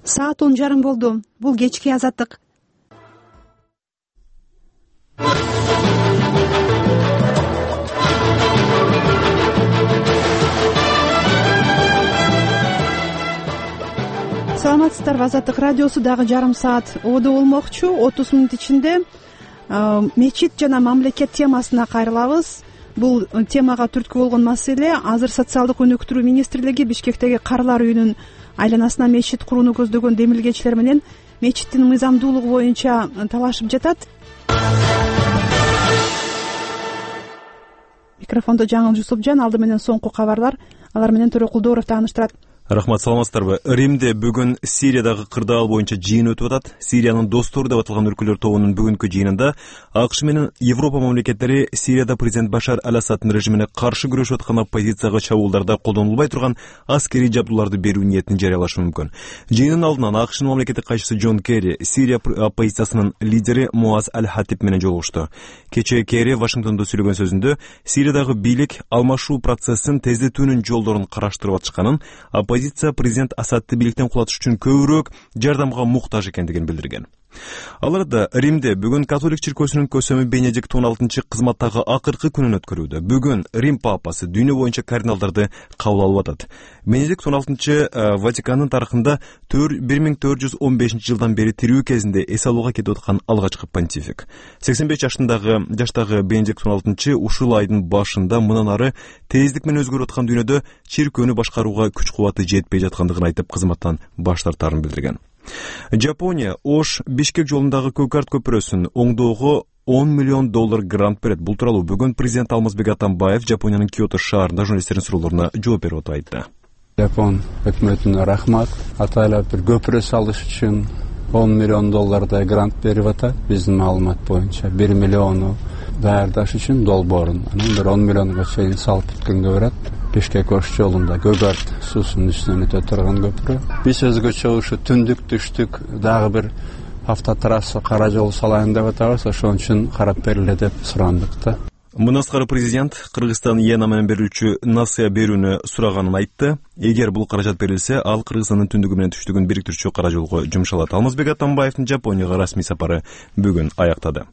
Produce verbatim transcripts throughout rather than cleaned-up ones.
Саат он жарым болду. Бул кечки азаттык. Саламатсыздарбы, Азаттык радиосу дагы жарым саат ободо болмокчу. отуз мүнөт ичинде мечит жана мамлекет темасына кайрылабыз. Бул темага түрткү болгон маселе азыр социалдык өнүктүрүү министрлиги Бишкектеги Карылар үйүнүн айланасына мечит курууну көздөгөн демилгечилер менен мечиттин мыйзамдуулугу боюнча талашып жатат. Микрофондо Жаңыл Жусупжан, алды менен соңку кабарлар, алар менен Төрө Кулдооров тааныштырат. Рахмат, саламатсыздарбы. Римде бүгүн Сириядагы кырдаал боюнча жыйын өтүп атат. Сириянын достору деп аталган өлкөлөр тобунун бүгүнкү жыйынында АКШ менен Европа мамлекеттери Сирияда президент Башар аль-Асаддын режимине каршы күрөшүп аткан оппозицияга чабуулдарда колдонулбай турган аскерий жабдууларды берүү ниетин жарыялашы мүмкүн. Жыйындын алдынан АКШнын мамлекеттик кайчысы Джон Керри Сирия оппозициясынын лидери Муаз аль-Хатиб менен жолугушту. Кечээ Керри Вашингтондо сүйлөгөн сөзүндө Сириядагы бийлик алмашуу процессин тездетүүнүн жолдорун караштырып атышканын, оппозиция президент Асадты бийликтен кулатыш үчүн көбүрөөк жардамга муктаж экендигин билдирген. Аларда Римде бүгүн католик чиркөөсүнүн көсөмү Бенедикт он алтынчы кызматтагы акыркы күнүн өткөрүүдө. Бүгүн Рим папасы дүйнө боюнча кардиналдарды кабыл алып атат. Бенедикт он алтынчы Ватикандын тарыхында бир миң төрт жүз он бешинчи жылдан бери тирүү кезинде эс алууга кетип аткан алгачкы понтифик. сексен беш жашындагы жаштагы Бенедикт он алтынчы ушул айдын башында мындан ары тездик менен өзгөрүп аткан дүйнөдө чиркөөнү башкарууга күч кубаты жетпей жаткандыгын айтып кызматтан баш тартаарын билдирген. Жапония Ош Бишкек жолундагы Көкарт көпүрөсүн оңдоого он миллион доллар грант берет. Бул тууралуу бүгүн президент Алмазбек Атамбаев Жапониянын Киото шаарында журналисттердин суроолоруна жооп берип атып айтты. Жапон өкмөтүнө рахмат. Атайлап бир көпүрө салыш үчүн он миллион доллардай грант берип атат. Биздин маалымат боюнча бир миллиону даярдаш үчүн долбоорун, анан бир он миллионго чейин салып бүткөнгө барат. Бишкек Ош жолунда Көкарт суусунун үстүнөн өтө турган көпүрө. Биз өзгөчө ушу түндүк түштүк дагы бир автотрасса кара жол салайын деп атабыз, ошон үчүн карап бериле деп сурандык да. Мындан тышкары президент Кыргызстан Ена менен берүүчү Насыя берүүнү сураганын айтты. Эгер бул каражат берилсе, ал Кыргызстандын түндүгү менен түштүгүн бириктирүүчү кара жолго жумшалат. Алмазбек Атамбаевдин Жапонияга расмий сапары бүгүн аяктады.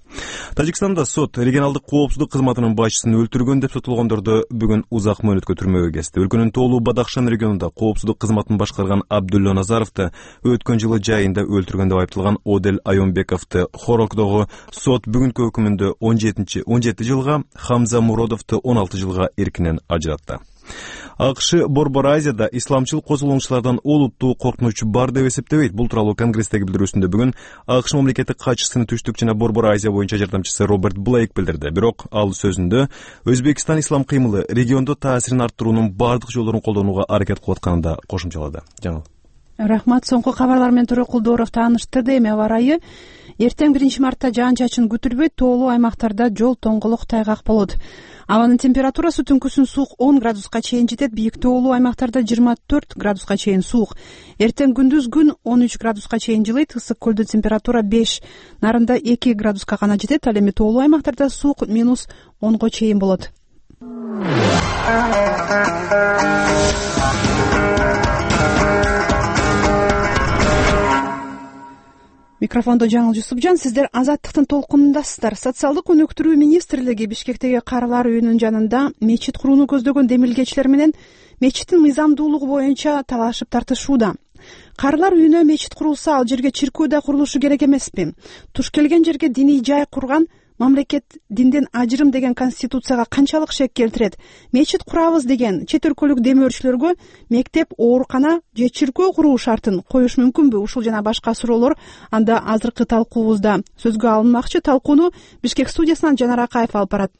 Тажикстанда сот регионалдык коопсуздук кызматынын башчысын өлтүргөн деп сотулгондорду бүгүн узак мөөнөткө түрмөгө кести. Өлкөнүн Тоолуу Бадахшан регионунда коопсуздук кызматын башкарган Абдулло Назаровду өткөн жылы жайында өлтүргөн деп айыпталган Одель Айонбековду Хорокдогу сот бүгүнкү өкүмүндө он жети жылга, Хамза Муродовду он алты жылга эркинен ажыратты. АКШ Борбор Азияда исламчыл козголоңчулардан олуттуу коркунуч бар деп эсептебейт. Бул тууралуу Конгресстеги билдирүүсүндө бүгүн АКШ мамлекеттик катчысынын түштүк жана Борбор Азия боюнча жардамчысы Роберт Блейк билдирди. Бирок ал сөзүндө Өзбекстан ислам кыймылы региондо таасирин арттыруунун бардык жолдорун колдонууга аракет кылып атканын да кошумчалады. Жаңыл. Рахмат, соңку кабарлар менен Төрө Кулдооров тааныштырды. Эми аба ырайы. Эртең биринчи мартта жаан-чачын күтүлбөйт, тоолуу аймактарда жол тоңголук тайгак болот. Абанын температурасы түнкүсүн суук он градуска чейин жетет, бийик тоолуу аймактарда жыйырма төрт градуска чейин суук. Эртең күндүз күн он үч градуска чейин жылыйт, ысык көлдө температура беш, нарында эки градуска гана жетет, ал эми тоолуу аймактарда суук минус онго чейин болот. Микрофондо Жаңыл Жусупжан, сиздер Азаттыктын толкунундасыздар. Социалдык өнүктүрүү министрлиги Бишкектеги Карылар үйүнүн жанында мечит курууну көздөгөн демилгечилер менен мечиттин мыйзамдуулугу боюнча талашып тартышууда. Карылар үйүнө мечит курулса, ал жерге чиркөө да курулушу керек эмеспи? Туш келген жерге диний жай курган мамлекет динден ажырым деген конституцияга канчалык шек келтирет? Мечит курабыз деген чет өлкөлүк демөөрчүлөргө мектеп, оорукана же чиркөө куруу шартын коюш мүмкүнбү? Ушул жана башка суроолор анда азыркы талкуубузда сөзгө алынмакчы. Талкууну Бишкек студиясынан Жанар Акаев алып барат.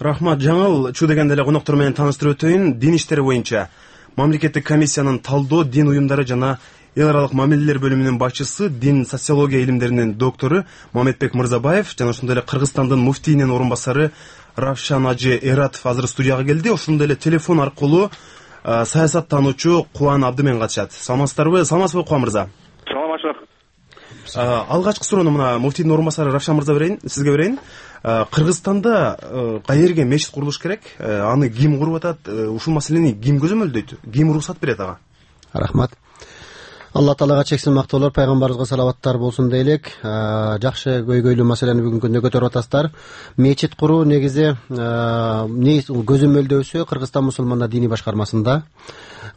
Рахмат, Жаңыл. Чу дегенде эле коноктор менен тааныштырып өтөйүн. Дин иштери боюнча мамлекеттик комиссиянын талдоо дин уюмдары жана эл аралык мамилелер бөлүмүнүн башчысы, дин социология илимдеринин доктору Мамедбек Мырзабаев жана ошондой эле Кыргызстандын муфтийинин орун басары Равшан Ажы Эратов азыр студияга келди. Ошондой эле телефон аркылуу саясаттануучу Кубан Абдымен катышат. Саламатсыздарбы? Саламатсызбы Кубан мырза? Саламатчылык. Алгачкы суроону мына муфтийдин орун басары Равшан мырза берейин, сизге берейин. Кыргызстанда каерге мечит курулуш керек? Аны ким куруп атат? Ушул маселени ким көзөмөлдөйт? Ким уруксат берет ага? Рахмат. Алла таалага чексиз мактоолор, пайгамбарыбызга салаваттар болсун дейлик. Жакшы көйгөйлүү маселени бүгүнкү күндө көтөрүп атасыздар. Мечит куруу негизи көзөмөлдөөсү Кыргызстан мусулмандар диний башкармасында.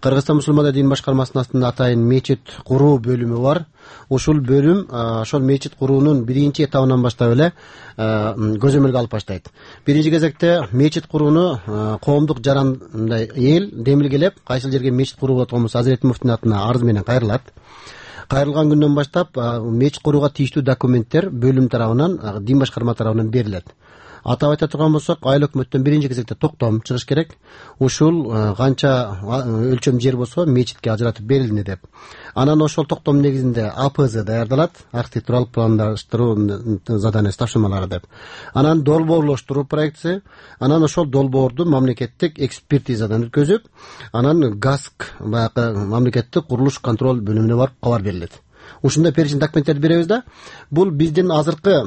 Кыргызстан мусулмандар диний башкармасынын астында атайын мечит куруу бөлүмү бар. Ушул бөлүм ошол мечит куруунун биринчи этабынан баштап эле көзөмөлгө алып баштайт. Биринчи кезекте мечит курууну коомдук жаран мындай эл демилгелеп, кайсыл жерге мечит куруу болот болсо Азирети муфтинин атына арыз менен кайрылат. Кайрылган күндөн баштап мечит курууга тийиштүү документтер бөлүм тарабынан, дин башкарма тарабынан берилет. Атап айта турган болсок, айыл өкмөттөн биринчи кезекте токтом чыгыш керек. Ушул канча өлчөм жер болсо мечитке ажыратып берилди деп. Анан ошол токтом негизинде А П З даярдалат, архитектуралык пландаштыруу заданиясы тапшырмалары деп. Анан долбоорлоштуруу проектиси, анан ошол долбоорду мамлекеттик экспертизадан өткөзүп, анан ГАСК, баягы мамлекеттик курулуш контроль бөлүмүнө барып кабар берилет. Ушундай перечень документтерди беребиз да. Бул биздин азыркы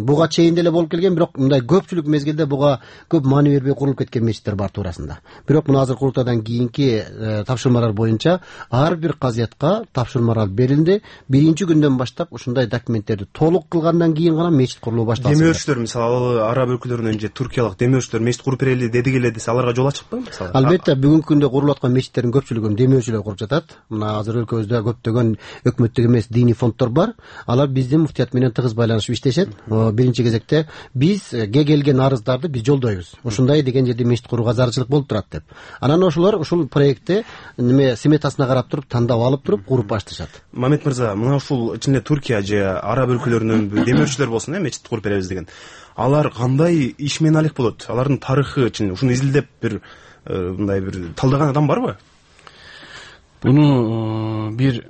буга чейин деле болуп келген, бирок мындай көпчүлүк мезгилде буга көп маани бербей курулуп кеткен мечиттер бар туурасында. Бирок мына азыр курултайдан кийинки тапшырмалар боюнча ар бир казиятка тапшырмалар берилди. Биринчи күндөн баштап ушундай документтерди толук кылгандан кийин гана мечит курулуу башталды. Демөөрчүлөр, мисалы араб өлкөлөрүнөн же туркиялык демөөрчүлөр мечит куруп берели деди келе десе, аларга жол ачыкпы мисалы? Албетте, бүгүнкү күндө курулуп аткан мечиттердин көпчүлүгүн демөөрчүлөр куруп жатат. Мына азыр өлкөбүздө көптөгөн өкмөттүк эмес диний фонддор бар. Алар биздин муфтият менен тыгыз байланышып иштешет. Биринчи кезекте бизге келген арыздарды биз жолдойбуз. Ушундай деген жерде мечит курууга зарылчылык болуп турат деп. Анан ошолор ушул проектти неме сметасына карап туруп, тандап алып туруп куруп башташат. Мамет мырза, мына ушул ичинде Туркия же араб өлкөлөрүнөн демөөрчүлөр болсун, э, мечит куруп беребиз деген. Алар кандай иш менен алек болот? Алардын тарыхы үчүн ушуну изилдеп бир мындай бир талдаган адам барбы? Буну бир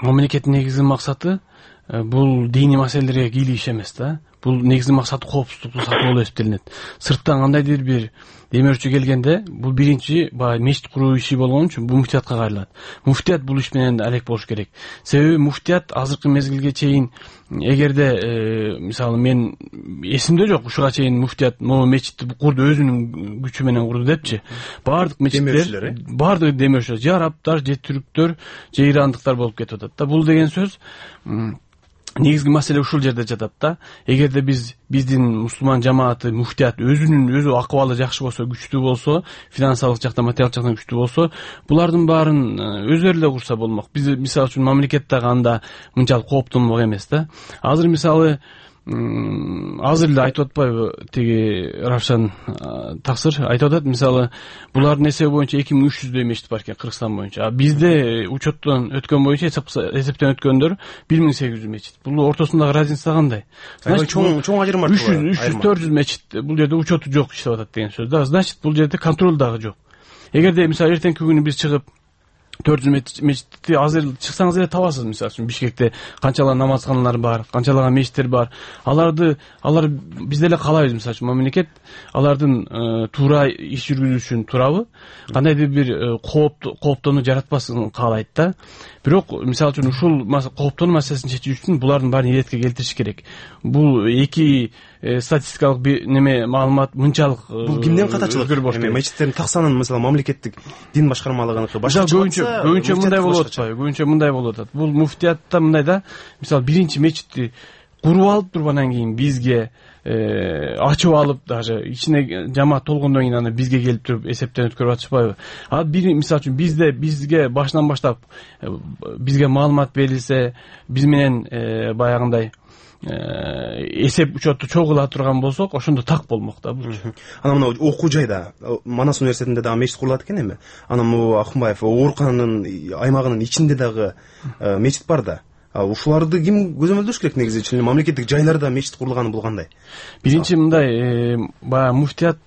мамлекеттин негизги максаты бул диний маселелерге кийлүү иш эмес да. Бул негизги максаты коопсуздукту сактоо болуп эсептелинет. Сырттан кандайдыр бир демөөрчү келгенде бул биринчи баягы мечит куруу иши болгон үчүн бул муфтиятка кайрылат. Муфтият бул иш менен алек болуш керек. Себеби муфтият азыркы мезгилге чейин, эгерде мисалы мен эсимде жок, ушуга чейин муфтият могу мечитти курду өзүнүн күчү менен курду депчи. Баардык мечиттер, баардык демөөрчүлөр, же арабтар, же түрктөр, же ирандыктар болуп кетип атат да. Бул деген сөз негизги маселе ушул жерде жатат да. Эгерде биз биздин мусулман жамааты, муфтият өзүнүн өзү акыбалы жакшы болсо, күчтүү болсо, финансылык жактан, материалдык жактан күчтүү болсо, булардын баарын өздөрү эле курса болмок. Биз мисалы үчүн мамлекетте анда мынчалык кооптонмок эмес да. Азыр мисалы азыр эле айтып атпайбы тиги Равшан таксыр айтып атат, мисалы булардын эсеби боюнча эки миң үч жүздөй мечит бар экен Кыргызстан боюнча. А бизде учеттон өткөн боюнча, эсептен өткөндөр бир миң сегиз жүз мечит. Бул ортосундагы разница кандай? Значит, чоң чоң ажырым бар. үч жүз төрт жүз мечит бул жерде учету жок иштеп атат деген сөз да. Значит, бул жерде контроль дагы жок. Эгерде мисалы эртеңки күнү биз чыгып төрт жүз мечитти азыр чыксаңыз эле табасыз. Мисалы үчүн Бишкекте канчалаган намазканалар бар, канчалаган мечиттер бар. Аларды алар биз деле каалайбыз, мисалы үчүн мамлекет алардын туура иш жүргүзүү үчүн туурабы, кандайдыр бир кооптонуу жаратпасын каалайт да. Бирок мисалы үчүн ушул кооптонуу маселесин чечүү үчүн булардын баарын иретке келтириш керек. Бул эки статистикалык неме маалымат мынчалык бул кимден катачылык? Мечиттердин так санын мисалы мамлекеттик дин башкармалыгыныкы башка көбүнчө көбүнчө мындай болуп атпайбы? Көбүнчө мындай болуп атат. Бул муфтиятта мындай да, мисалы биринчи мечитти куруп алып туруп анан кийин бизге ачып алып, даже ичине жамаат толгондон кийин аны бизге келип туруп эсептен өткөрүп атышпайбы? А бир мисалы үчүн бизде бизге башынан баштап бизге маалымат берилсе, биз менен баягындай эсеп учетту чогула турган болсок, ошондо так болмок да бул. Анан мына окуу жайда Манас университетинде дагы мечит курулат экен эми. Анан могу Акынбаев оорукананын аймагынын ичинде дагы мечит бар да. Ушуларды ким көзөмөлдөш керек негизи? Чын эле мамлекеттик жайларда мечит курулганы бул кандай? Биринчи мындай баягы муфтият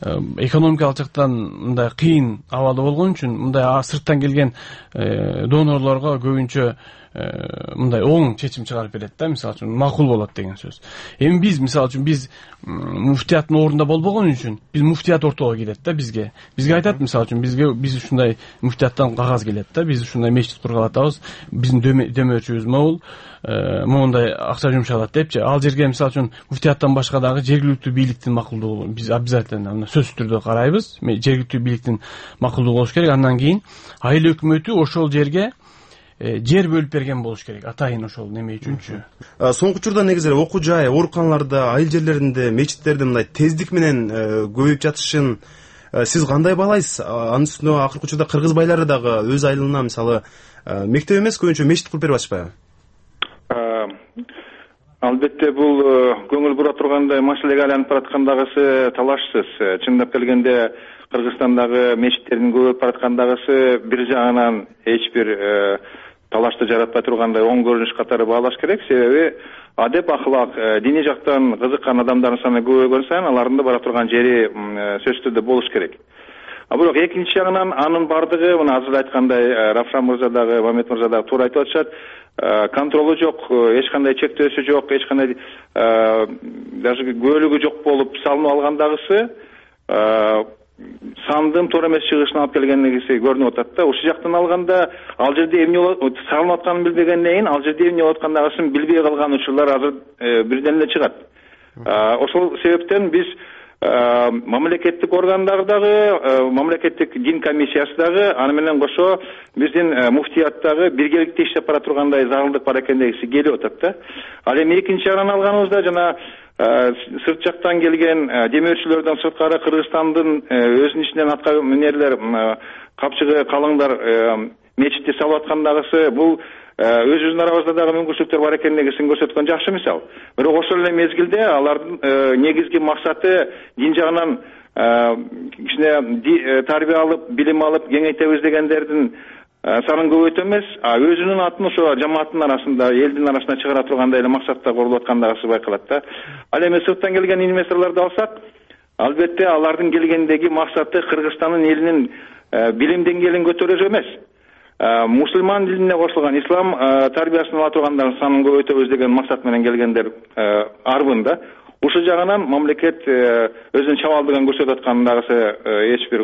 экономикалык жактан мындай кыйын абалда болгон үчүн мындай сырттан келген донорлорго көбүнчө мындай оң чечим чыгарып берет да, мисалы үчүн макул болот деген сөз. Эми биз мисалы үчүн биз муфтияттын ордунда болбогон үчүн биз муфтият ортого келет да бизге. Бизге айтат мисалы үчүн бизге биз ушундай муфтияттан кагаз келет да, биз ушундай мечит кургалы атабыз, биздин дөмөрчүбүз могул, моундай акча жумшалат депчи. Ал жерге мисалы үчүн муфтияттан башка дагы жергиликтүү бийликтин макулдугу биз обязательно сөзсүз түрдө карайбыз. Жергиликтүү бийликтин макулдугу болуш керек. Андан кийин айыл өкмөтү ошол жерге жер бөлүп берген болуш керек атайын ошол неме үчүнчү. Соңку учурда негизи эле окуу жай, ооруканаларда, айыл жерлеринде, мечиттерде мындай тездик менен көбөйүп жатышын сиз кандай баалайсыз? Анын үстүнө акыркы учурда кыргыз байлары дагы өз айылына мисалы мектеп эмес көбүнчө мечит куруп берип атышпайбы? Албетте бул көңүл бура тургандай маселеге айланып бараткандагысы талашсыз. Чындап келгенде Кыргызстандагы мечиттердин көбөйүп бараткандагысы бир жагынан эч бир талашты жаратпай тургандай оң көрүнүш катары баалаш керек. Себеби адеп ахлак, диний жактан кызыккан адамдардын саны көбөйгөн сайын алардын да бара турган жери сөзсүз түрдө болуш керек. А бирок экинчи жагынан анын бардыгы мына азыр айткандай Равшан мырза дагы, Мамед мырза дагы туура айтып атышат. Контролу жок, эч кандай чектөөсү жок, эч кандай даже көөлүгү жок болуп салынып алгандагысы сандын туура эмес чыгышына алып келгендиги көрүнүп атат да. Ушул жактан алганда ал жерде эмне салынып атканын билбегенден кийин ал жерде эмне болуп аткандыгын билбей калган учурлар азыр бирден эле чыгат. Ошол себептен биз мамлекеттик органдар дагы, мамлекеттик дин комиссиясы дагы, аны менен кошо биздин муфтият дагы биргеликте иштеп бара тургандай зарылдык бар экендиги келип атат да. Ал эми экинчи жагынан алганыбызда жана сырт жактан келген демөөрчүлөрдөн сырткары Кыргызстандын өзүнүн ичинен атка минерлер, капчыгы калыңдар мечитти салып аткандагысы бул өзүбүздүн арабызда дагы мүмкүнчүлүктөр бар экендигин көрсөткөн жакшы мисал. Бирок ошол эле мезгилде алардын негизги максаты дин жагынан кичине тарбия алып, билим алып, кеңейтебиз дегендердин санын көбөйтүү эмес, а өзүнүн атын ошо жамааттын арасында, элдин арасына чыгара тургандай эле максатта курулуп аткандыгысы байкалат да. Ал эми сырттан келген инвесторлорду алсак, албетте алардын келгендеги максаты Кыргызстандын элинин билим деңгээлин көтөрүү эмес. Мусулман динине кошулган ислам тарбиясын ала тургандардын санын көбөйтөбүз деген максат менен келгендер арбында. Ушул жагынан мамлекет өзүнүн чабалдыгын көрсөтүп аткандагысы эч бир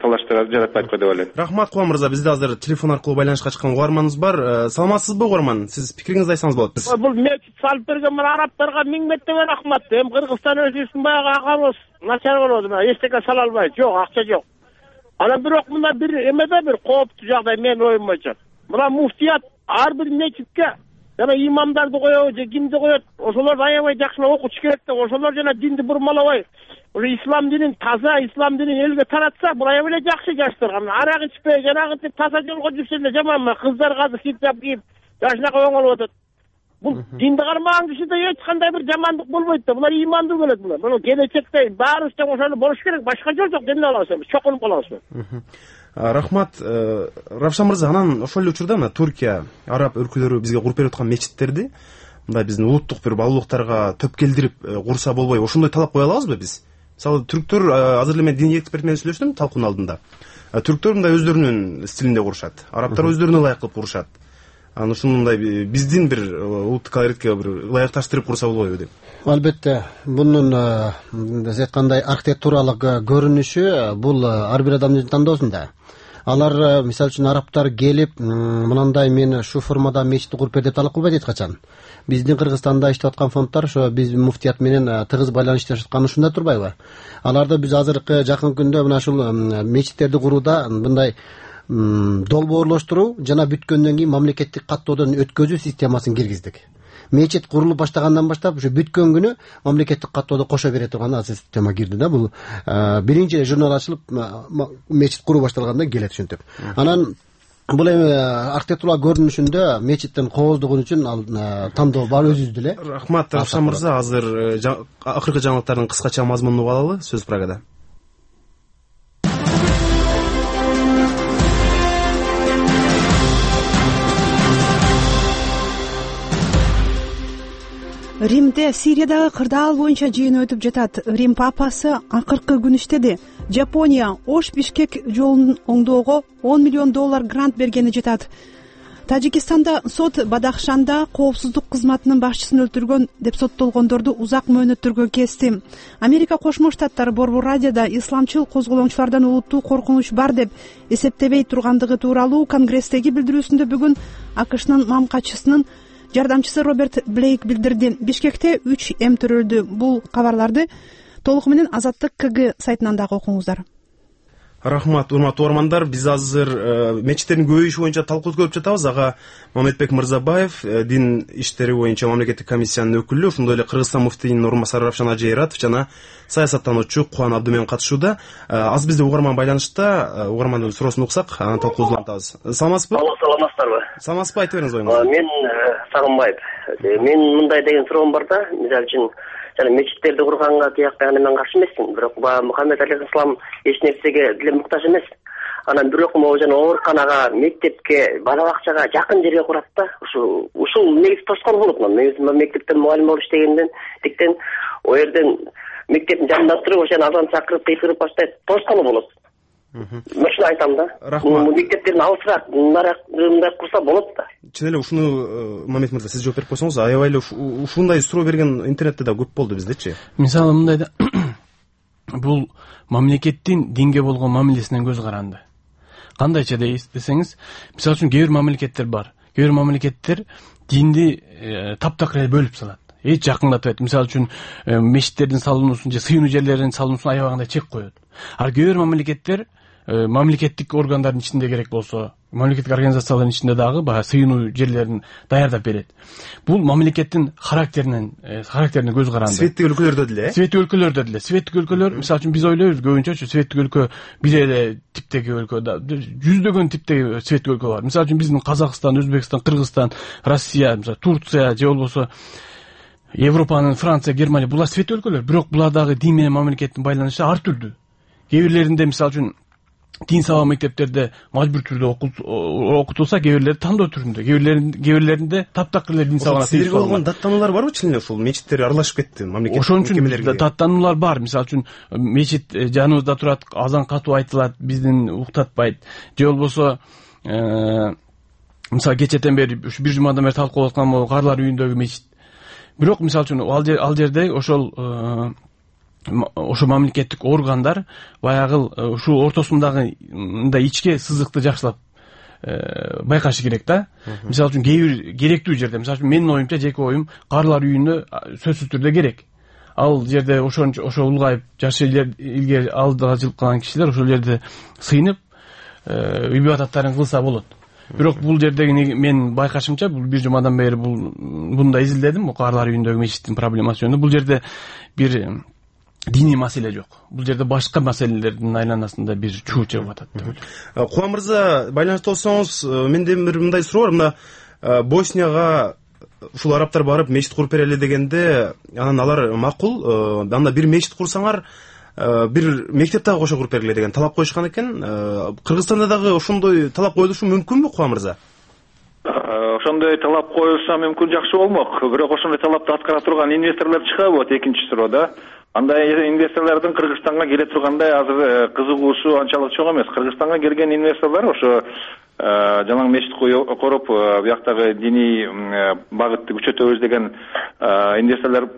талаштар жаратпайт го деп ойлойм. Рахмат Кубан мырза, бизде азыр телефон аркылуу байланышка чыккан угарманыбыз бар. Саламатсызбы угарман? Сиз пикириңизди айтсаңыз болот. Бул мечит салып берген мына араптарга миң мертебе рахмат. Эми Кыргызстан өзүбүздүн баягы акыбыз начар болот, эчтеке сала албайт. Жок, акча жок. Анан бирок мына бир эмеде бир кооптуу жагдай менин оюм боюнча. Мына муфтият ар бир мечитке жана имамдарды коебу же кимди коет, ошолорду аябай жакшылап окутуш керек деп, ошолор жана динди бурмалабай, ошо ислам динин таза, ислам динин элге таратса, бул аябай эле жакшы жаштарга. Арак ичпей, жанагынтип таза жолго жүрсө эле жаман. Кыздар азыр хиджаб кийип, жашынакай оңолуп атат. Бул динди кармаган кишиде эч кандай бир жамандык болбойт да. Булар имандуу келет булар. Мына келечекте баарыбыз тең ошондой болуш керек. Башка жол жок. Эмне кылабыз? Чокунуп калабыз. Рахмат Равшан мырза, анан ошол эле учурда мына Туркия, араб өлкөлөрү бизге куруп берип аткан мечиттерди мындай биздин улуттук бир баалуулуктарга төп келдирип курса болбойбу? Ошондой талап кое алабызбы биз? Мисалы түрктөр, азыр эле мен диний эксперт менен сүйлөштүм талкуунун алдында. Түрктөр мындай өздөрүнүн стилинде курушат, арабтар өздөрүнө ылайык кылып курушат. Анан ушундай биздин бир улуттук колоритке бир ылайыкташтырып курса болбойбу деп. Албетте, мунун сиз айткандай архитектуралык көрүнүшү бул ар бир адамдын тандоосунда. Алар мисалы үчүн арабтар келип, мынандай мен ушу формада мечитти куруп бер деп талап кылбайт эч качан. Биздин Кыргызстанда иштеп аткан фонддор ошо биз муфтият менен тыгыз байланышта жаткан ушунда турбайбы? Аларды биз азыркы жакын күндө мына ушул мечиттерди курууда мындай долбоорлоштуруу жана бүткөндөн кийин мамлекеттик каттоодон өткөзүү системасын киргиздик. Мечит курулуп баштагандан баштап ушу бүткөн күнү мамлекеттик каттоодо кошо бере турган азыр система кирди да. Бул биринчи журнал ачылып мечит куруу башталганда келет ушинтип. Анан бул эми архитектура көрүнүшүндө мечиттин кооздугу үчүн ал тандоо бар өзүбүздү эле. Рахмат Равшан мырза, азыр акыркы жаңылыктардын кыскача мазмунун угуп алалы. Сөз прогада. Римде Сириядагы кырдаал боюнча жыйын өтүп жатат. Рим папасы акыркы күн иштеди. Жапония Ош-Бишкек жолун оңдоого он миллион доллар грант бергени жатат. Тажикистанда сот Бадахшанда коопсуздук кызматынын башчысын өлтүргөн деп соттолгондорду узак мөөнөттөргө кести. Америка Кошмо Штаттары Борбор радиода исламчыл козголоңчулардан улуттуу коркунуч бар деп эсептебей тургандыгы тууралуу Конгресстеги билдирүүсүндө бүгүн АКШнын мамкачысынын жардамчысы Роберт Блейк билдирди. Бишкекте үч эм төрөлдү. Бул кабарларды толугу менен Азаттык КГ сайтынан дагы окуңуздар. Рахмат, урматтуу угармандар. Биз азыр мечиттердин көбөйүшү боюнча талкуу өткөрүп жатабыз. Ага Мамедбек Мырзабаев, дин иштери боюнча мамлекеттик комиссиянын өкүлү, ошондой эле Кыргызстан муфтийинин орун басары Равшан Ажейратов жана саясаттануучу Кубан Абдымен катышууда. Азыр бизде угарман байланышта. Угармандын суроосун уксак, анан талкуубузду улантабыз. Саламатсызбы? Саламатсыздарбы? Саламатсызбы, айта бериңиз оюңузду. Мен Сагынбаев. Мен мындай деген суроом бар да, мисалы үчүн жана мечиттерди курганга тиякпай мен каршы эмесмин. Бирок баягы Мухаммед алейхиссалам эч нерсеге деле муктаж эмес. Анан бирок могу жана ооруканага, мектепке, бала бакчага жакын жерге курат да. Ушу ушул негизи тоскоол болот. Мен мектептен мугалим болуп иштегенден тиктен о жерден мектептин жанында туруп ошону азан чакырып кыйкырып баштайт. Тоскоол болот. Мынча айтам да. Бул мектептердин алысыраак, мындай курса болот да. Чын эле ушуну Мамед мырза сиз жооп берип койсоңуз, аябай эле ушундай суроо берген интернетте да көп болду биздечи. Мисалы мындай да, бул мамлекеттин динге болгон мамилесинен көз каранды. Кандайча десеңиз, мисалы үчүн кээ бир мамлекеттер бар. Кээ бир мамлекеттер динди таптакыр эле бөлүп салат. Эч жакындатпайт. Мисалы үчүн мечиттердин салынуусун же сыйынуу жерлеринин салынуусуна аябагандай чек коет. Ал кээ бир мамлекеттер мамлекеттик органдардын ичинде керек болсо, мамлекеттик организациялардын ичинде дагы баягы сыйынуу жерлерин даярдап берет. Бул мамлекеттин характеринен характерине көз каранды. Светтик өлкөлөрдө деле, светтик өлкөлөрдө деле, светтик өлкөлөр, мисалы үчүн биз ойлойбуз көбүнчөчү светтик өлкө бир эле типтеги өлкө да, жүздөгөн типтеги светтик өлкө бар. Мисалы үчүн биздин Казакстан, Өзбекстан, Кыргызстан, Россия, мисалы Турция же болбосо Европанын Франция, Германия, булар светтик өлкөлөр, бирок булардагы дин менен мамлекеттин байланышы ар түрдүү. Кээ бирлеринде мисалы үчүн дин сабак мектептерде мажбур түрдө окутулса, кээ бирлери тандоо түрүндө, кээ бирлеринде кээ бирлеринде таптакыр эле дин сабагына силерге болгон даттануулар барбы чын эле? Ушул мечиттер аралашып кетти мамлекеттик мекемелерге. Ошон үчүн даттануулар бар. Мисалы үчүн мечит жаныбызда турат, азан катуу айтылат, биздин уктатпайт. Же болбосо мисалы кечэтен бери ушу бир жумадан бери талкуулап аткан могу карлар үйүндөгү мечит. Бирок мисалы үчүн ал жерде ошол ошо мамлекеттик органдар баягы ушул ортосундагы мындай ичке сызыкты жакшылап байкашы керек да. Мисалы үчүн кээ бир керектүү жерде, мисалы үчүн менин оюмча, жеке оюм, карлар үйүнө сөзсүз түрдө керек. Ал жерде ошон ошо улгайып жашы илгери алдыга жылып калган кишилер ошол жерде сыйынып ибадаттарын кылса болот. Бирок бул жердеги мен байкашымча, бул бир жумадан бери бул мындай изилдедим, карлар үйүндөгү мечиттин проблемасы жөнүндө. Бул жерде бир диний маселе жок. Бул жерде башка маселелердин айланасында бир чуу чыгып атат деп ойлойм. Кубан мырза, байланышта болсоңуз, менде бир мындай суроо бар. Мына Боснияга ушул арабтар барып мечит куруп берели дегенде, анан алар макул, анда бир мечит курсаңар, бир мектеп дагы кошо куруп бергиле деген талап коюшкан экен. Кыргызстанда дагы ошондой талап коюлушу мүмкүнбү, Кубан мырза? Ошондой талап коюлса мүмкүн, жакшы болмок. Бирок ошондой талапты аткара турган инвесторлор чыгабы? Вот экинчи суроо да. Андай инвесторлордун Кыргызстанга келе тургандай азыр кызыгуусу анчалык чоң эмес. Кыргызстанга келген инвесторлор ошо жалаң мечит куруп, бияктагы диний багытты күчөтөбүз деген инвесторлор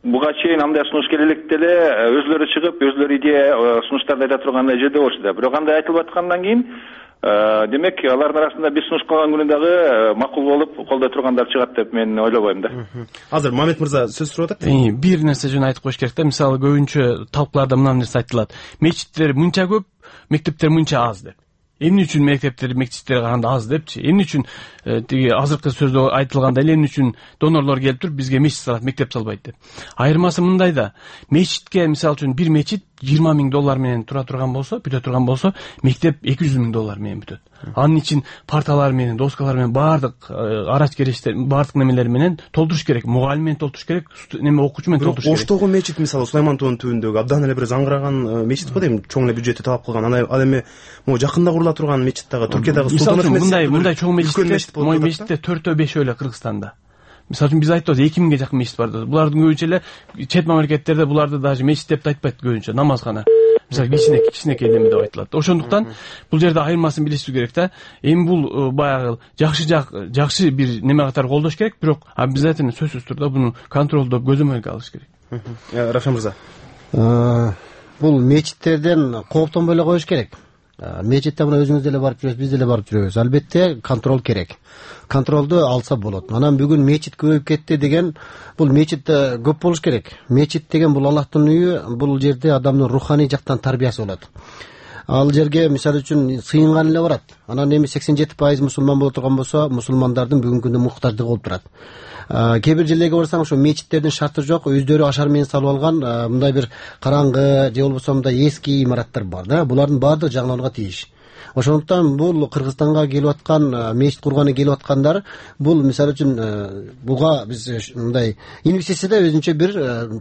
буга чейин андай сунуш келе электе эле өзүлөрү чыгып, өзүлөрү идея сунуштарды айта тургандай жерде болчу да. Бирок андай айтылып аткандан кийин демек алардын арасында биз сунуш кылган күнү дагы макул болуп колдой тургандар чыгат деп мен ойлобойм да. Азыр Мамед мырза сөз сурап атат. Бир нерсе жөн айтып коюш керек да. Мисалы көбүнчө талкууларда мына нерсе айтылат. Мечиттер мынча көп, мектептер мынча аз деп. Эмне үчүн мектептер мечиттерге караганда аз депчи? Эмне үчүн тиги азыркы сөздө айтылгандай эле эмне үчүн донорлор келип туруп бизге мечит салат, мектеп салбайт деп. Айырмасы мындай да. Мечитке мисалы үчүн бир мечит жыйырма миң доллар менен тура турган болсо, бүтө турган болсо, мектеп эки жүз миң доллар менен бүтөт. Анын үчүн парталар менен, доскалар менен баардык арач керечтер, баардык немелер менен толтуруш керек. Мугалим менен толтуруш керек, неме окуучу менен толтуруш керек. Оштогу мечит мисалы Сулайман тоонун түбүндөгү абдан эле бир заңгыраган мечит го дейм, чоң эле бюджетти талап кылган. Ал эми могу жакында курула турган мечит дагы Түркиядагы Султан мындай мындай чоң мечит, мой мечитте төртөө бешөө эле Кыргызстанда. Мисалы үчүн биз айтабыз эки миңге жакын мечит бар. Булардын көбүнчө эле чет мамлекеттерде буларды даже мечит деп айтпайт көбүнчө, намазгана. Мисалы кичине кичинекей неме деп айтылат. Ошондуктан бул жерде айырмасын билишибиз керек да. Эми бул баягы жакшы жакшы бир неме катары колдош керек, бирок обязательно сөзсүз түрдө буну контролдоп көзөмөлгө алыш керек. Равшан мырза. Бул мечиттерден кооптонбой эле коюш керек. Мечитте мына өзүңүз деле барып жүрөсүз, биз деле барып жүрөбүз. Албетте контроль керек. Контролду алса болот. Анан бүгүн мечит көбөйүп кетти деген, бул мечит көп болуш керек. Мечит деген бул Аллахтын үйү, бул жерде адамдын руханий жактан тарбиясы болот. ал жерге мисалы үчүн сыйынган эле барат. Анан эми сексен жети пайыз мусулман боло турган болсо, мусулмандардын бүгүнкү күндө муктаждыгы болуп турат. Кээ бир жерлерге барсаң, ошо мечиттердин шарты жок, өздөрү ашар менен салып алган мындай бир караңгы же болбосо мындай эски имараттар бар да. Булардын баардыгы жаңыланууга тийиш. Ошондуктан бул Кыргызстанга келип аткан, мечит курганы келип аткандар, бул мисалы үчүн буга биз мындай инвестицияда өзүнчө бир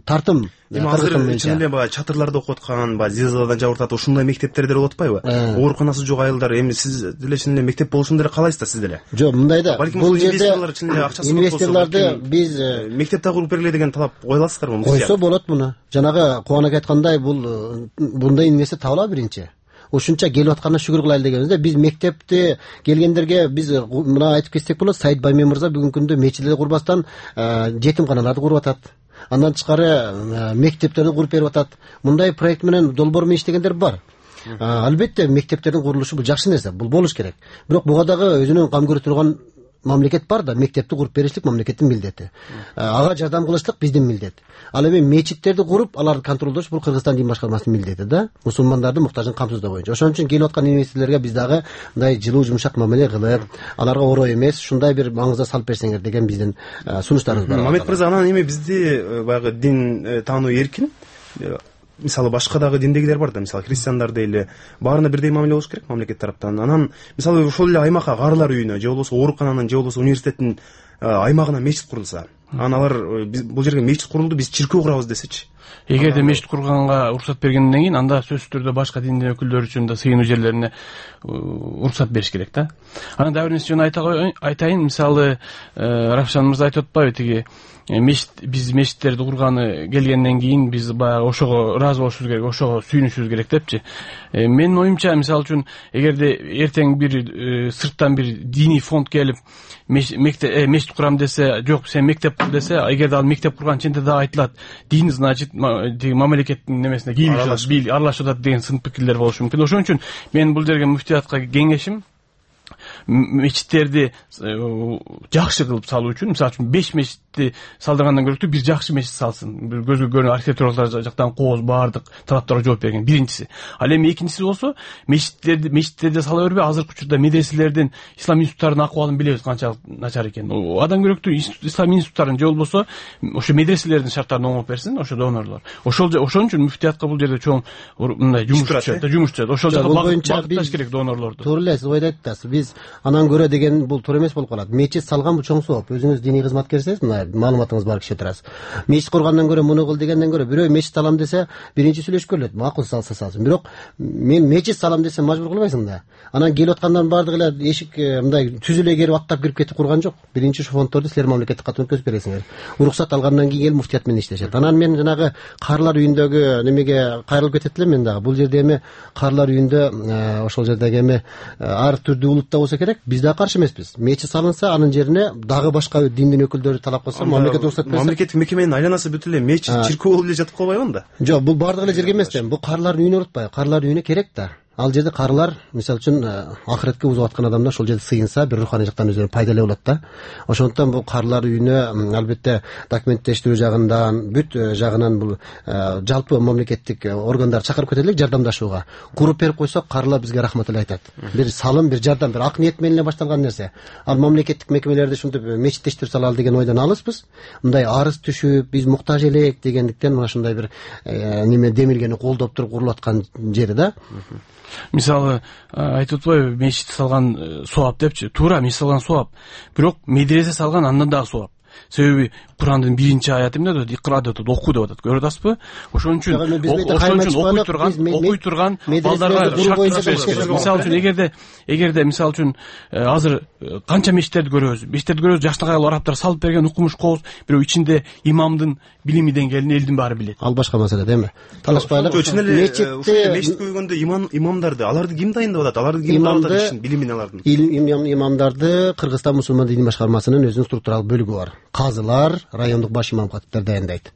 тартым. Эми азыр чын эле баягы чатырларда окуп аткан, баягы зилзаладан жабыртат ушундай мектептерде болуп атпайбы? Ооруканасы жок айылдар, эми сиз деле чын эле мектеп болушун деле каалайсыздар сиз деле? Жок, мындай да. Бул жерде инвесторлорду биз мектеп да куруп бергиле деген талап кое аласыздарбы? Койсо болот муну. Жанагы Кубанбек айткандай, бул мындай инвестор табылабы биринчи. Ушунча келип атканына шүгүр кылайлы дегенбизде, биз мектепти келгендерге биз мына айтып кетсек болот. Саид Баймен мырза бүгүнкү күндө мечиттерди курбастан жетимканаларды куруп атат. Андан тышкары мектептерди куруп берип атат. Мындай проект менен долбоор менен иштегендер бар. Албетте мектептердин курулушу бул жакшы нерсе, бул болуш керек. Бирок буга дагы өзүнүн кам көрө турган мамлекет бар да, мектепти куруп беришлик мамлекеттин милдети. Ага жардам кылышлык биздин милдет. Ал эми мечиттерди куруп, аларды контролдош бул Кыргызстан дин башкармасынын милдети да, мусулмандардын муктажын камсыздоо боюнча. Ошон үчүн келип аткан инвесторлорго биз дагы мындай жылуу жумшак мамиле кылып, аларга ороо эмес, ушундай бир маңызда салып берсеңер деген биздин сунуштарыбыз бар. Мамет мырза, анан эми бизде баягы дин таануу эркин. Мисалы башка дагы диндегилер бар да, мисалы христиандар дейли, баарына бирдей мамиле болуш керек мамлекет тараптан. Анан мисалы ошол эле аймакка каарылар үйүнө же болбосо оорукананын же болбосо университеттин аймагына мечит курулса, анан алар бул жерге мечит курулду, биз чиркөө курабыз десечи. Эгерде мечит курганга уруксат бергенден кийин, анда сөзсүз түрдө башка диндин өкүлдөрү үчүн да сыйынуу жерлерине уруксат бериш керек да. Анан дагы бир нерсе жөн айтайын, мисалы Равшан мырза айтып атпайбы, тиги мечит, биз мечиттерди курганы келгенден кийин биз баягы ошого ыраазы болушубуз керек, ошого сүйүнүшүбүз керек депчи. Менин оюмча, мисалы үчүн эгерде эртең бир сырттан бир диний фонд келип мечит курам десе, жок сен мектеп кур десе, эгерде ал мектеп курган ченде дагы айтылат, дин значит мамлекеттин немесине кийилишип аралашып атат деген сын пикирлер болушу мүмкүн. Ошон үчүн мен бул жерге муфтиятка кеңешим, мечиттерди жакшы кылып салуу үчүн, мисалы үчүн беш мечитти салдыргандан көрө бир жакшы мечит салсын. Бир көзгө көрүнүп архитектуралык жактан кооз баардык талаптарга жооп берген биринчиси. Ал эми экинчиси болсо, мечиттерди мечиттерди сала бербей, азыркы учурда медреселердин, ислам институттарынын акыбалын билебиз канчалык начар экенин. Адам көрөктүү ислам институттарын же болбосо ошо медреселердин шарттарын оңоп берсин, ошо донорлор. Ошол ошон үчүн муфтиятка бул жерде чоң мындай жумуш түшөт, жумуш түшөт. Ошол жакка багытташ керек донорлорду. Туура эле, сиз ойдойт атасыз. Биз анан көрө деген бул туура эмес болуп калат. Мечит салган бул чоң сооп. Өзүңүз диний кызматкерсиз, мына маалыматыңыз бар киши турасыз. Мечит кургандан көрө муну кыл дегенден көрө бирөө мечит салам десе, биринчи сүйлөшүп көрөлөт. Макул салса салсын. Бирок мен мечит салам десем мажбур кылбайсың да. Анан келип аткандардын баардыгы эле эшик мындай түзүлө келип аттап кирип кетип курган жок. Биринчи ошо фонддорду силер мамлекеттик катуу өткөзүп бересиңер. Уруксат алгандан кийин келип муфтият менен иштешет. Анан мен жанагы каарылар үйүндөгү немеге кайрылып кетет элем мен дагы. Бул жерде эми каарылар үйүндө ошол жердеги эми ар түрдүү улутта болсо керек, биз да каршы эмеспиз. Мечит салынса, анын жерине дагы башка диндин өкүлдөрү талап кылса, мамлекет уруксат берсе, мамлекеттик мекеменин айланасы бүт эле мечит, чиркөө болуп эле жатып калбайбы анда? Жок, бул баардыгы эле жерге эмес да. Бул каарылардын үйүнө урутпайбы? Каарылардын үйүнө керек да. Ал жерде каарылар, мисалы үчүн, ахиретке узап аткан адамдар ошол жерде сыйынса, бир руханий жактан өзүнө пайдалуу болот да. Ошондуктан бул каарылар үйүнө албетте документтештирүү жагынан, бүт жагынан бул жалпы мамлекеттик органдар чакырып кетелик жардамдашууга. Куруп берип койсок, каарылар бизге рахмат эле айтат. Бир салым, бир жардам, бир ак ниет менен эле башталган нерсе. Ал мамлекеттик мекемелерди ушинтип мечиттештирип салалы деген ойдон алыспыз. Мындай арыз түшүп, биз муктаж элек дегендиктен мына ушундай бир неме демилгени колдоп туруп курулуп аткан жери да. Мисалы айтып атпайбы, мечит салган сооп депчи. Туура, мечит салган сооп. Бирок медресе салган андан дагы сооп. Себеби Курандын биринчи аяты эмне дейт? Икра деп атат, оку деп атат. Көрүп атасызбы? Ошон үчүн ошон үчүн окуй турган, окуй турган балдарга шарт бериш керек. Мисалы үчүн эгерде эгерде мисалы үчүн азыр канча мечиттерди көрөбүз? Мечиттерди көрөбүз, жаштык аял арабтар салып берген укмуш кооз, бирок ичинде имамдын билими деңгээлин элдин баары билет. Ал башка маселе деме. Талашпайлык. Чын эле ушул мечитке келгөндө имам имамдарды, аларды ким дайындап атат? Аларды ким дайындап атат? Билимин алардын. Имамдарды Кыргызстан мусулман дини башкармасынын өзүнүн структуралык бөлүгү бар. казылар, райондук баш имам катиптер даярдайт.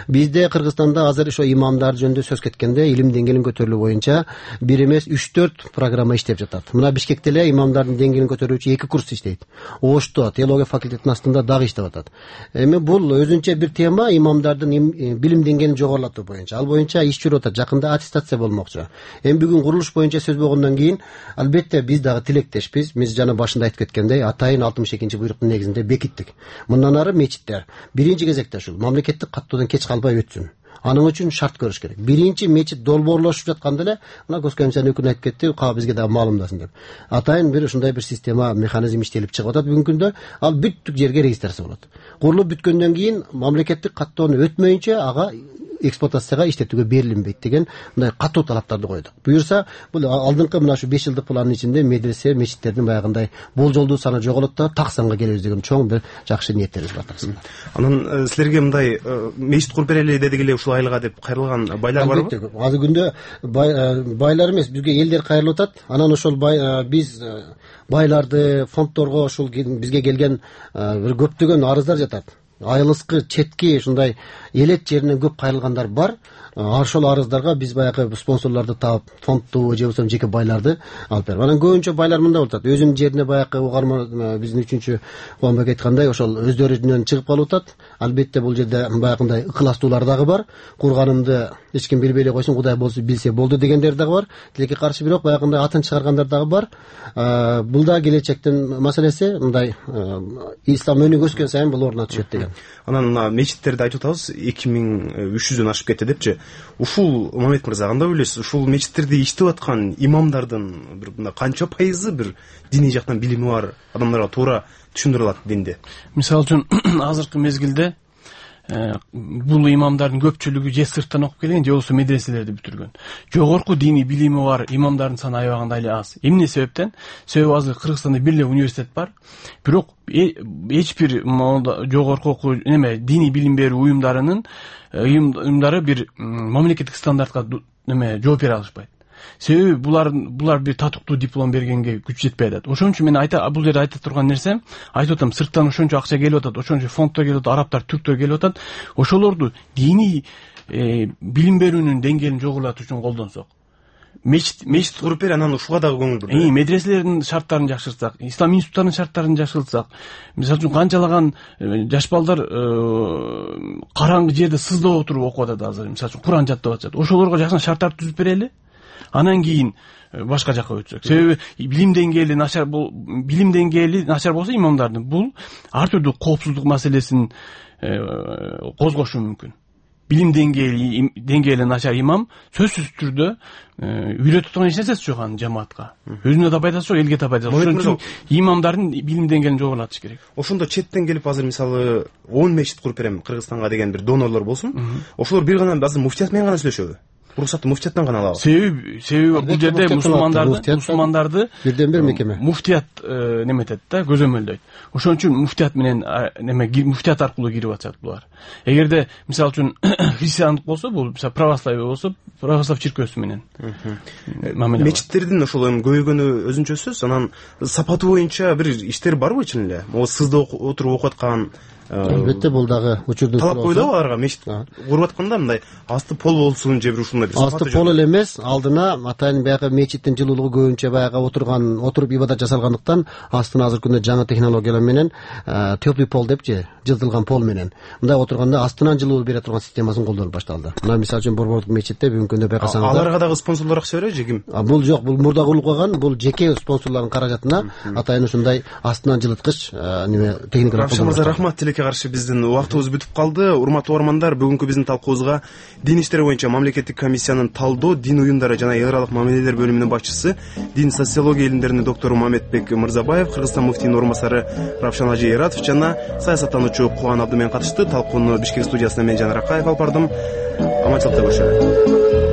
Бизде Кыргызстанда азыр ошо имамдар жөнүндө сөз кеткенде илим деңгээлин көтөрүлүү боюнча бир эмес үч төрт программа иштеп жатат. Мына Бишкекте эле имамдардын деңгээлин көтөрүүчү эки курс иштейт. Ошто теология факультетинин астында дагы иштеп атат. Эми бул өзүнчө бир тема имамдардын билим деңгээлин жогорулатуу боюнча. Ал боюнча иш жүрүп атат. Жакында аттестация болмокчу. Эми бүгүн курулуш боюнча сөз болгондон кийин албетте биз дагы тилектешпиз. Биз жана башында айтып кеткендей атайын алтымыш экинчи буйруктун негизинде бекиттик. Мындан ары мечиттер биринчи кезекте ушул мамлекеттик каттоодон кеч калбай өтсүн. Анын үчүн шарт көрүш керек. Биринчи мечит долбоорлошуп жатканда эле мына Госкомиссия өкүлү айтып кетти, каа бизге дагы маалымдасын деп. Атайын бир ушундай бир система, механизм иштелип чыгып атат бүгүнкү күндө. Ал бүттүк жерге регистрация болот. Курулуп бүткөндөн кийин мамлекеттик каттоону өтмөйүнчө ага эксплуатацияга иштетүүгө берилинбейт деген мындай катуу талаптарды койдук. Буюрса бул алдыңкы мына ушу беш жылдык пландын ичинде медресе, мечиттердин баягындай болжолдуу саны жоголот да так санга келебиз деген чоң бир жакшы ниеттерибиз бар. Анан силерге мындай мечит куруп берели дедик эле ушул айылга деп кайрылган байлар барбы? Азыр күндө байлар эмес, бизге элдер кайрылып атат. Анан ошол биз байларды, фонддорго ушул бизге келген бир көптөгөн арыздар жатат. Айылыскы четки ушундай элет жеринен көп кайрылгандар бар. Ошол арыздарга биз баягы спонсорлорду таап, фондду же болбосо жеке байларды алып берип. Анан көбүнчө байлар мындай болуп атат. Өзүнүн жерине баягы угарма биздин үчүнчү Кубанбек айткандай ошол өздөрүнөн чыгып калып атат. Албетте бул жерде баягындай ыкыластуулар дагы бар. Курганымды эч ким билбей эле койсун, Кудай болсо билсе болду дегендер дагы бар. Тилекке каршы бирок баягындай атын чыгаргандар дагы бар. Бул да келечектин маселеси. Мындай ислам өнүгүп өскөн сайын бул ордуна түшөт деген. Анан мына мечиттерди айтып атабыз, эки миң үч жүздөн ашып кетти депчи. Ушул Мамет мырза кандай ойлойсуз? Ушул мечиттерде иштеп аткан имамдардын бир мындай канча пайызы бир диний жактан билими бар адамдарга туура түшүндүрө алат динди? Мисалы үчүн азыркы мезгилде бул имамдардын көпчүлүгү же сырттан окуп келген, же болбосо медреселерди бүтүргөн. Жогорку диний билими бар имамдардын саны аябаганда эле аз. Эмне себептен? Себеби азыр Кыргызстанда бир эле университет бар. Бирок эч бир жогорку окуу неме диний билим берүү уюмдарынын уюмдары бир мамлекеттик стандартка неме жооп бере алышпайт. Себеби булар булар бир татыктуу диплом бергенге күч жетпей атат. Ошон үчүн мен айта бул жерде айта турган нерсем, айтып атам, сырттан ошончо акча келип атат, ошончо фонддор келип атат, арабтар, түрктөр келип атат. Ошолорду диний билим берүүнүн деңгээлин жогорулатуу үчүн колдонсок. Мечит мечит куруп бер, анан ушуга дагы көңүл бурду. Э, медреселердин шарттарын жакшыртсак, ислам институттарынын шарттарын жакшыртсак, мисалы үчүн канчалаган жаш балдар караңгы жерде сыздап отуруп окуп атат азыр, мисалы үчүн Куран жаттап атышат. Ошолорго жакшы шарттарды түзүп берели. Анан кийин башка жакка өтсөк. Себеби билим деңгээли начар бул билим деңгээли начар болсо имамдардын бул ар түрдүү коопсуздук маселесин козгошу мүмкүн. Билим деңгээли деңгээли начар имам сөзсүз түрдө үйрөтүп турган эч нерсеси жок анын жамаатка. Өзүнө да пайдасы жок, элге да пайдасы жок. Ошон үчүн имамдардын билим деңгээлин жогорулатыш керек. Ошондо четтен келип азыр мисалы он мечит куруп берем Кыргызстанга деген бир донорлор болсун. Ошолор бир гана азыр муфтият менен гана сүйлөшөбү? Уруксатты муфтияттан гана алабы? Себеби себеби бул жерде мусулмандарды мусулмандарды бирден бир мекеме муфтият неметет да, көзөмөлдөйт. Ошон үчүн муфтият менен неме муфтият аркылуу кирип атышат булар. Эгерде мисалы үчүн христиандык болсо, бул мисалы православие болсо, православ чиркөөсү менен мамиле. Мечиттердин ошол эми көбөйгөнү өзүнчө сөз, анан сапаты боюнча бир иштер барбы чын эле? Могу сызда отуруп окуп аткан албетте бул дагы учурдун талап койдубу аларга мечит куруп атканда мындай асты пол болсун же бир ушундай бир асты пол эле эмес, алдына атайын баягы мечиттин жылуулугу көбүнчө баягы отурган отуруп ибадат жасалгандыктан астына азыркы күндө жаңы технологиялар менен теплый пол депчи, жылтылган пол менен мындай отурганда астынан жылуу бере турган системасын колдонуп башталды. Мына мисалы үчүн Борбордук мечитте бүгүнкү күндө байкасаңыздар аларга дагы спонсорлор акча береби же ким? Бул жок, бул мурда курулуп калган, бул жеке спонсорлордун каражатына атайын ушундай астынан жылыткыч неме техникалар колдонуп. Рахмат, тилекке каршы биздин убактыбыз бүтүп калды. Урматтуу угармандар, бүгүнкү биздин талкуубузга дин иштери боюнча мамлекеттик комиссиянын талдоо, дин уюмдары жана эл аралык мамилелер бөлүмүнүн башчысы, дин социология илимдеринин доктору Мамедбек Мырзабаев, Кыргызстан муфтийинин орун басары Равшан Ажи Эратов жана саясаттануучу Кубан Абдымен катышты. Талкууну Бишкек студиясынан мен Жанар Акаев алып бардым. Аманчылыкта көрүшөлү.